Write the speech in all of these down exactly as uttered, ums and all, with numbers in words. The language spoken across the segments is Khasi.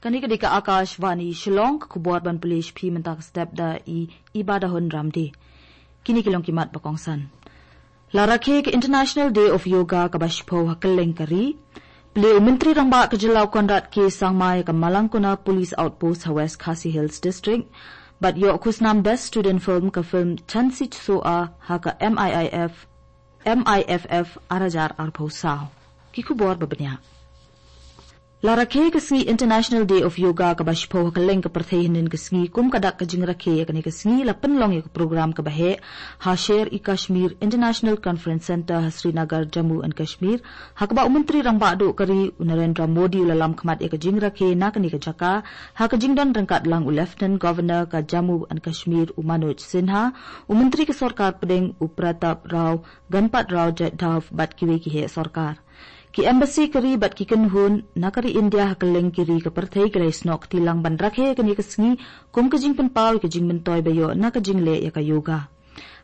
Kane ka dei ka Akashvani Shillong, ka khubor ban pule sha phi mynta ka step da i Ibadahun Ramde. Kine ki long ki mat ba kongsan. La rakhe ka International Day of Yoga kaba shiphew ha kylleng ka ri. Plie u Myntri Rangbah ka jylla u Conrad K Sangma ïa ka Malangkona Police Outpost ha West Khasi Hills District. Bad ïoh khusnam Best Student Film ka film Chansi Soa ha ka M I I F, M I F F ar hajar arphew saw. Ki khubor ba bniah. La rakhe ka sngi International Day of Yoga kaba shiphew ha kylleng ka pyrthei hynnin ka sngi. Kum ka dak ka jingrakhe ïa kane ka sngi, la pynlong ïa ka program kaba heh ha Sher-e-Kashmir International Conference Centre ha Srinagar, Jammu and Kashmir, ha kaba u Myntri Rangbah Duh ka ri u Narendra Modi u la lam khmat ïa ka jingrakhe na kane ka jaka, ha ka jingdon ryngkat lang u Lieutenant Governor ka Jammu and Kashmir u Manoj Sinha, u Myntri ka Sorkar Pdeng u Pratap Rao Ganpat Rao Jadhav bad kiwei ki heh sorkar. Ki embassy ka ri bad ki kynhun na ka ri India ha kylleng ki ri ka pyrthei ki la ïasnoh kti lang ban rakhe ïa kane ka sngi kum ka jingpynpaw ïa ka jingmyntoi ba ïoh na ka jingleh ïa ka yoga.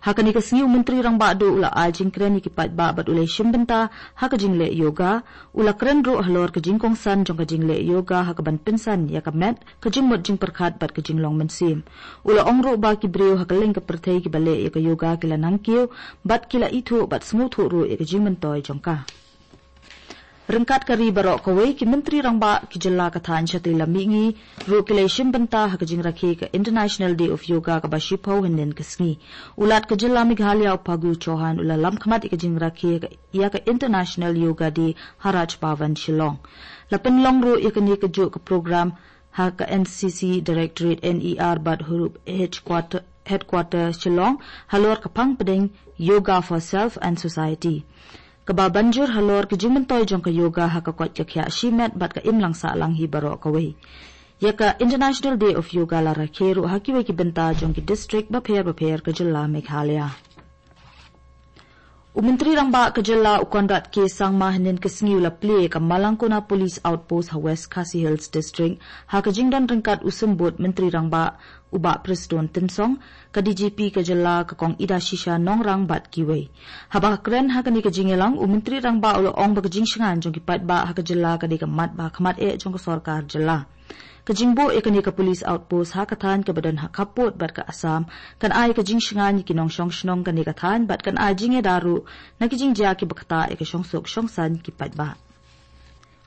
Ha kane ka sngi u Myntri Rangbah Duh u la ai jingkren ïa ki paidbah bad u la shim bynta ha ka jingleh yoga. U la kren ruh halor ka jingkongsan jong ka jingleh yoga ha kaban pynsan ïa ka met, ka jingmut jingpyrkhat bad ka jinglong mynsiem. U la ong ruh ba ki briew ha kylleng ka pyrthei kiba leh ïa ka yoga ki la nangkiew bad ki la ithuh bad sngewthuh ruh ïa ka jingmyntoi jong ka. Ryngkat ka ri baroh kawei, ki Myntri Rangbah ki jylla, ka thaiñ shatei lam mihngi ruh ki la shim bynta ha ka jingrakhe ka International Day of Yoga kaba shiphew hynnin ka sngi. U Lat ka jylla Meghalaya u Phagu Chauhan u la lam khmat ïa ka jingrakhe ka, ïa ka International Yoga Day ha Raj Bhavan Shillong. La pynlong ruh ïa kane kajuh ka program ha ka N C C Directorate, N E R bad Hurup Headquarter, Headquarter Shillong halor ka phang pdeng Yoga for Self and Society, kaba ban jur halor ka jingmyntoi jong ka yoga ha ka koit ka khiah shimet bad ka imlang sahlang hi baroh kawei. Ïa ka International Day of Yoga la rakhe ruh ha kiwei ki bynta jong ki district bapher bapher ka jylla Meghalaya. U Myntri Rangbah ka jylla u Conrad K Sangma hynnin ka sngi u la plie ka Malangkona Police Outpost ha West Khasi Hills District ha ka jingdon ryngkat u Symbud Myntri Rangbah u Bah Prestone Tynsong, ka D G P ka jylla ka Kong Idashisha Nongrang bad kiwei. Haba kren ha kane ka jingïalang, u Myntri Rangbah u la ong ba ka jingshngaiñ jong ki paidbah ha ka jylla ka dei ka mat ba khmat eh jong ka sorkar jylla. Ka jingbuh ïa kane ka police outpost ha ka thaiñ kaba don ha khappud bad ka Assam kan ai ka jingshngaiñ ïa ki nongshong shnong kane ka thaiñ bad kan ai jingïada ruh na ki jingjia kiba ktah ïa ka shongsuk shongsaiñ ki paidbah.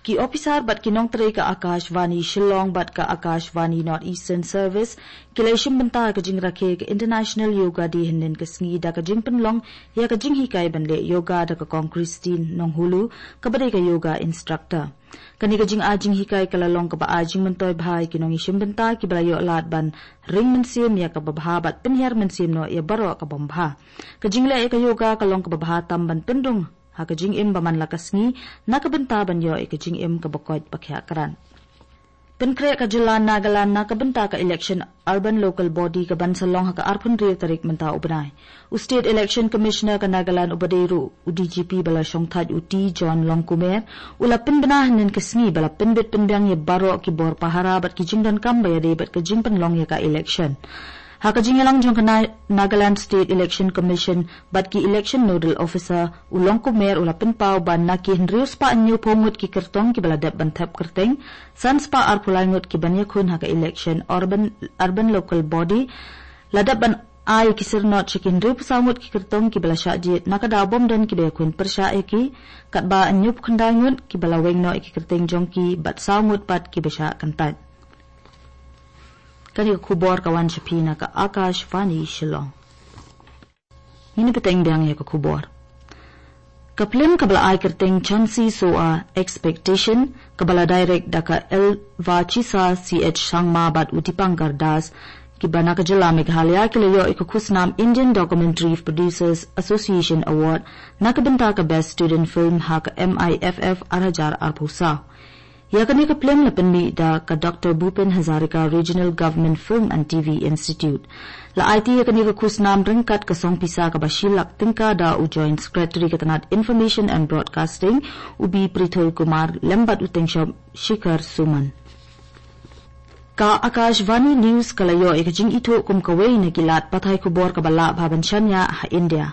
Ki ophisar bad ki nongtrei ka Akashvani Shillong bad ka Akashvani North Eastern Service ki la shim bynta ha ka jingrakhe ka International Yoga Day hynnin ka sngi da ka jingpynlong ïa ka jinghikai ban leh yoga da ka Kong Christine Nonghulu, kaba dei ka yoga instructor. Kane ka jingai jinghikai ka la long kaba ai jingmyntoi bha ïa ki nongïashim bynta kiba la ïoh lad ban ring mynsiem ïa kaba bha bad pynhiar mynsiem noh ïa baroh ka bym bha. Ka jingleh ïa ka yoga ka long kaba bha tam ban pynrung ha ka jingim ba man la ka sngi na ka bynta ban ïoh ïa ka jingim kaba koit ba khiah krat. Pynkhreh ka jylla Nagaland na ka bynta ka election Urban Local Body kaban sa long ha ka arphew hynriew tarik mynta u bnai. U State Election Commissioner ka Nagaland uba dei ruh u D G P ba la shongthait, u T John Longkumer, u la pynbna hynnin ka sngi ba la pynbit pynbiang ïa baroh ki bor pahara bad ki jingdonkam ba ïadei bad ka jingpynlong ïa ka election. Ha ka jingïalang jong ka Na-, Nagaland State Election Commission bad ki Election Nodal Officer, u Longkumer u la pynpaw ba na ki hynriew spah hynñiewphew ngut ki kyrtong kiba la dep ban thep kyrteng, san spah arphew lai ngut ki ban ïakhun ha ka election Urban, Urban Local Body, la dep ban ai ki syrnod sha ki hynriewphew saw ngut ki kyrtong kiba la shah jied na ka daw bym don kiba ïakhun pyrshah ïa ki, katba hynñiewphew khyndai ngut kiba la weng noh ïa ki kyrteng jong ki bad saw ngut pat kiba shah kyntait. Kane ka khubor ka wan sha phi na ka Akashvani Shillong. Ngin ïa bteng biang ïa ka khubor. Ka phlim kaba la ai kyrteng Chansi Soa Expectation, kaba la direct da ka Elvachisa C H Sangma bad u Dipankar Das, kiba na ka jylla Meghalaya, ki la ïoh ïa ka khusnam Indian Documentary Producers Association Award na ka bynta ka Best Student Film ha ka M I F F ar hajar arphew saw. Ïa kane ka phlim la pynmih da ka Doctor Bhupen Hazarika Regional Government Film and T V Institute. La aiti ïa kane ka khusnam ryngkat ka song pisa kaba shi lak tyngka da u Joint Secretary ka tnad Information and Broadcasting, u B Prithul Kumar, lem bad u Tengshop Shikhar Suman. Ka Akashvani News ka la ïoh ïa ka jingithuh kum kawei na ki lad pathai khubor kaba lah bha ban shaniah ha India.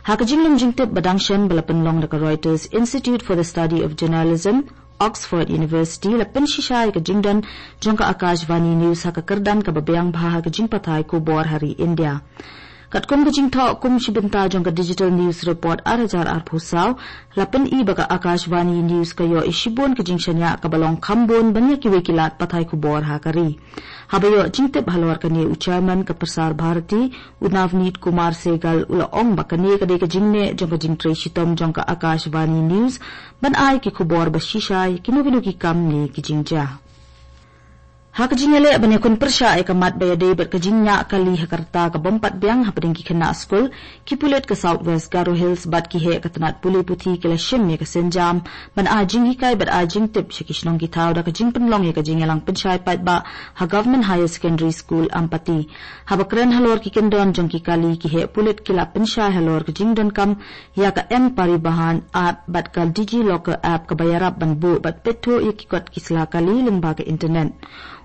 Ha ka jinglum jingtip ba dang shen ba la pynlong da ka Reuters Institute for the Study of Journalism, Oxford University, la pynshisha ïa ka jingdon jong ka Akashvani News ha ka kyrdan kaba biang bha ha ka jingpathai khubor ha ri India. Katkum ka jingthoh kum shi bynta jong ka Digital News Report ar hajar arphew saw, la pyni ba ka Akashvani News ka ïoh ïa shibun ka jingshaniah kaba long kham bun ban ïa kiwei ki lad pathai khubor ha ka ri. Haba ïoh jingtip halor kane, u Chairman ka Prasar Bharati, u Navneet Kumar Sehgal, u la ong ba kane ka dei ka jingneh jong ka jingtrei shitom jong ka Akashvani News ban ai ki khubor ba shisha ïa kino kino ki kam ne ki jingjia. Ha ka jingïaleh ban ïakhun pyrshah ïa ka mat ba ïadei bad ka jingñiah kali ha ka rta ka bym pat biang hapdeng ki khynnah skul, ki pulit ka South West Garo Hills bad ki heh ka tnat pule puthi ki la shim ïa ka sienjam ban ai jinghikai bad ai jingtip sha ki shnong ki thaw da ka jingpynlong ïa ka jingïalang pynshai paidbah ha Government Higher Secondary School Ampati. Haba kren halor ki kyndon jong ki kali, ki heh pulit ki la pynshai halor ka jingdonkam ïa ka M-Parivahan app bad ka DigiLocker app kaba ïarap ban buh bad peit thuh ïa ki kot ki sla kali lyngba ka internet.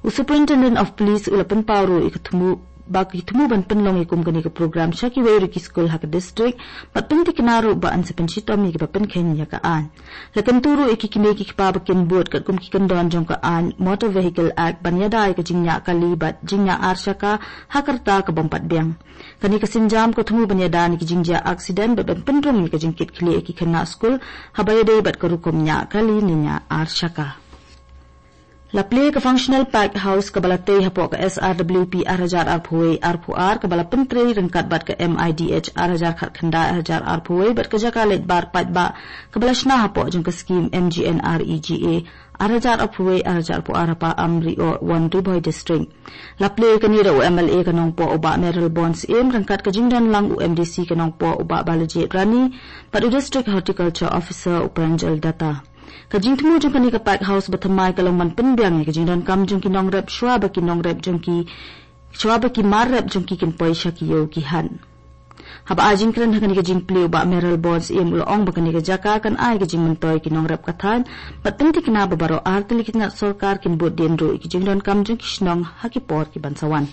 U Superintendent of Police u la pynpaw ruh ïa ka thmu ba ki thmu ban pynlong ïa kum kane ka program sha kiwei ruh ki skul ha ka district bad pynthikna ruh ba yn sa pynshitom ïa kiba pynkheiñ ïa ka aiñ. La kyntu ruh ïa ki kmie ki kpa ba kin bud katkum ki kyndon jong ka aiñ Motor Vehicle Act ban ïada ïa ka jingñiah kali bad jingñiah ar shaka ha ka rta ka bym pat biang. Kane ka sienjam ka thmu ban ïada ïa ki jingjia aksiden bad ban pynrung ïa ka jingkitkhlieh ïa ki khynnah skul haba ïadei bad ka rukom ñiah kali ne ñiah ar shaka. La plie ka Functional Packed House kaba la tei hapoh ka S R W P ar hajar arphew wei arphew ar kaba la pyntrei ryngkat bad ka M I D H ar hajar khatkhyndai ar hajar arphew wei bad ka jaka leit bar paidbah kaba la shna hapoh jong ka skim M G N R E G A ar hajar arphew wei ar hajar arphew ar ha Paam Ri-oh, Won Ri Bhoi District. La plie kane da u M L A ka Nongpoh u Bah Mayralborn Syiem ryngkat ka jingdon lang u M D C ka Nongpoh u Bah Balajied Rani bad u District Horticulture Officer u Pranjal Datta. Ka jingthmu jong kane ka pack house ba thymmai ka long ban pynbiang ïa ka jingdonkam jong ki nongrep shuwa ba ki nongrep jong ki, shuwa ba ki mar rep jong ki kin poi sha ki ïew ki hat. Haba ai jingkren ha kane ka jingplie u Bah Mayralborn Syiem u la ong ba kane ka jaka kan ai ka jingmyntoi ki nongrep ka thaiñ bad pynthikna ba baroh ar tylli ki tnat sorkar kin bud dien ruh ïa ki jingdonkam jong ki shnong ha ki por ki ban sa wan.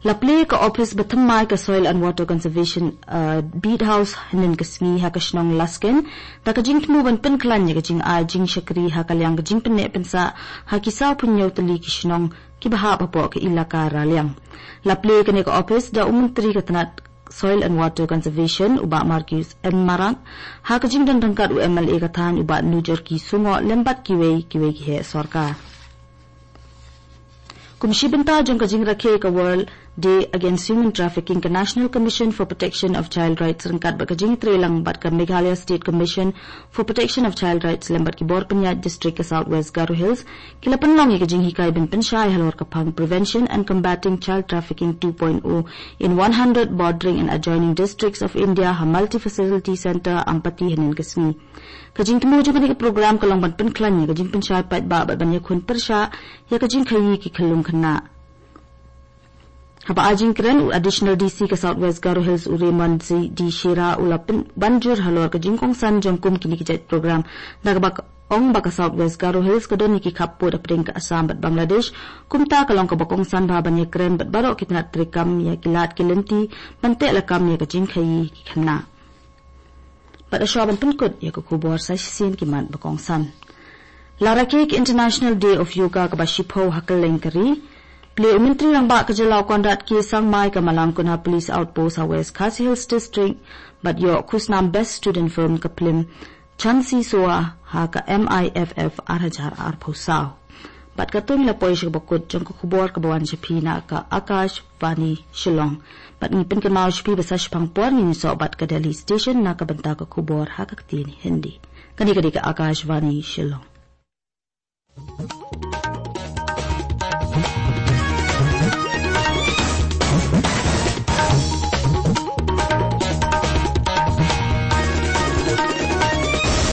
La plie ka ophis ba thymmai ka Soil and Water Conservation, uh, Beat House hynnin ka sngi ha ka shnong Laskein da ka jingthmu ban pynkhlaiñ ïa ka jingai jingshakri ha ka liang ka jingpynneh pynsah ha ki sawphew hynñiew tylli ki shnong kiba hap hapoh ka ilaka Raliang. La plie kane ka ophis da u Myntri ka tnat Soil and Water Conservation u Bah Marcuise N Marak ha ka jingdon ryngkat u M L A ka thaiñ u Bah Nujorki Sungoh lem bad kiwei kiwei ki heh sorkar. Kum shi bynta jong ka jingrakhe ka World Day Against Human Trafficking, ka National Commission for Protection of Child Rights ryngkat bad ka jingtreilang bad ka Meghalaya State Commission for Protection of Child Rights lem bad ki bor pynïaid district ka South West Garo Hills ki la pynlong ïa ka jinghikai ban pynshai halor ka phang Prevention and Combating Child Trafficking two point oh in one hundred bordering and adjoining districts of India ha Multi Facility Centre Ampati hynnin ka sngi. Ka jingthmu jong kane ka program ka long ban pynkhlaiñ ïa ka jingpynshai paidbah bad ban ïakhun pyrshah ïa ka jingkhaïi ki khyllung khynnah. Haba ai jingkren u Additional D C ka South West Garo Hills u Raymond Z D Shira u la pyn-, ban jur halor ka jingkongsan jong kum kine ki jait program da kaba ong ba ka South West Garo Hills ka don ïa ki khappud hapdeng ka Assam bad Bangladesh, kumta ka long kaba kongsan bha ban ïakren bad baroh ki tnat treikam ïa ki lad ki lynti ban teh lakam ïa ka jingkhaïi ki khynnah. Bad shuwa ban pynkut ïa ka khubor sa shisien ki mat ba kongsan. La rakhe ka International Day of Yoga kaba shiphew ha kylleng ka ri. Plie u Myntri Rangbah ka jylla u Conrad K Sangma ïa ka Malangkundha Police Outpost ha West Khasi Hills District bad ïoh khusnam Best Student Film ka phlim Chansi Sowa ha ka M I F F ar hajar arphew saw. Bad katto ngi la poi sha kaba kut jong ka khubor kaba wan sha phi na ka Akashvani Shillong. Bad ngi pynkynmaw sha phi ba sa shiphang por ngin ïasoh bad ka Delhi Station na ka bynta ka khubor ha ka ktien Hindi. Kane ka dei ka Akashvani Shillong.